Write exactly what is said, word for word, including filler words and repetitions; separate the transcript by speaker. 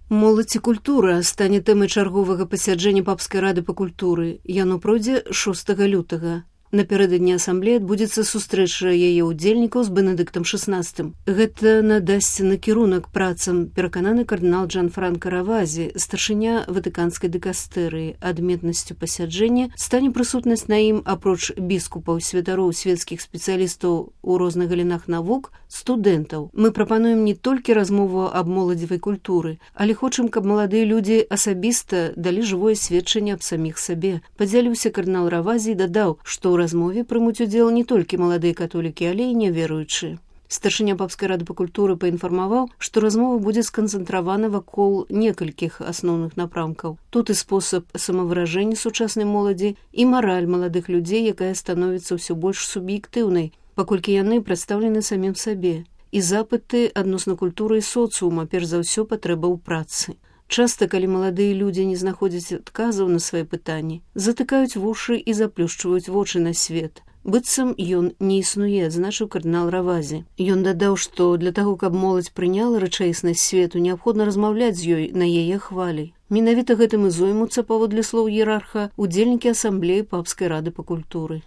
Speaker 1: Моладзь і культура стане тэмай чарговага пасяджэння папскай рады па культуры. Яно пройдзе шостага лютага. Напярэдадні асамблеі адбудзецца сустрэча яе ўдзельнікаў з Бенедыктам шаснаццатым. Гэта надасць накірунак працам, перакананы кардынал Джанфранка Равазі, старшыня ватыканскай дыкастэрыі. Адметнасцю пасяджэння стане прысутнасць на ім, апроч біскупаў, святароў, свецкіх спецыялістаў у розных галінах навук, студэнтаў. Мы прапануем не толькі размову аб моладзевай культуры, але хочам, каб маладыя людзі асабіста далі жывое сведчанне аб саміх сабе. Падзяліўся кардынал Равазі і дадаў, што ў размове прымуць удзел не толькі маладыя католікі, але і няверуючыя. Старшыня папскай рады па культуры паінфармаваў, што размова будзе сканцэнтравана вакол некалькіх асноўных напрамкаў. Тут і спосаб самавыражэння сучаснай моладзі, і мараль маладых людзей, якая становіцца ўсё больш суб'ектыўнай, паколькі яны прадстаўлены самім сабе, і запыты адносна культуры і соцыума, перш за ўсё патрэба ў працы. Часта, калі маладыя людзі не знаходзяць адказаў на свае пытанні, затыкаюць вушы і заплюшчваюць вочы на свет. Быццам ён не існуе, адзначыў кардынал Равазі. Ён дадаў, што для таго, каб моладзь прыняла рэчаіснасць свету, неабходна размаўляць з ёй на яе хвалі. Менавіта гэтым і зоймуцца, паводле слоў іерарха, удзельнікі асамблеі папскай рады па культуры.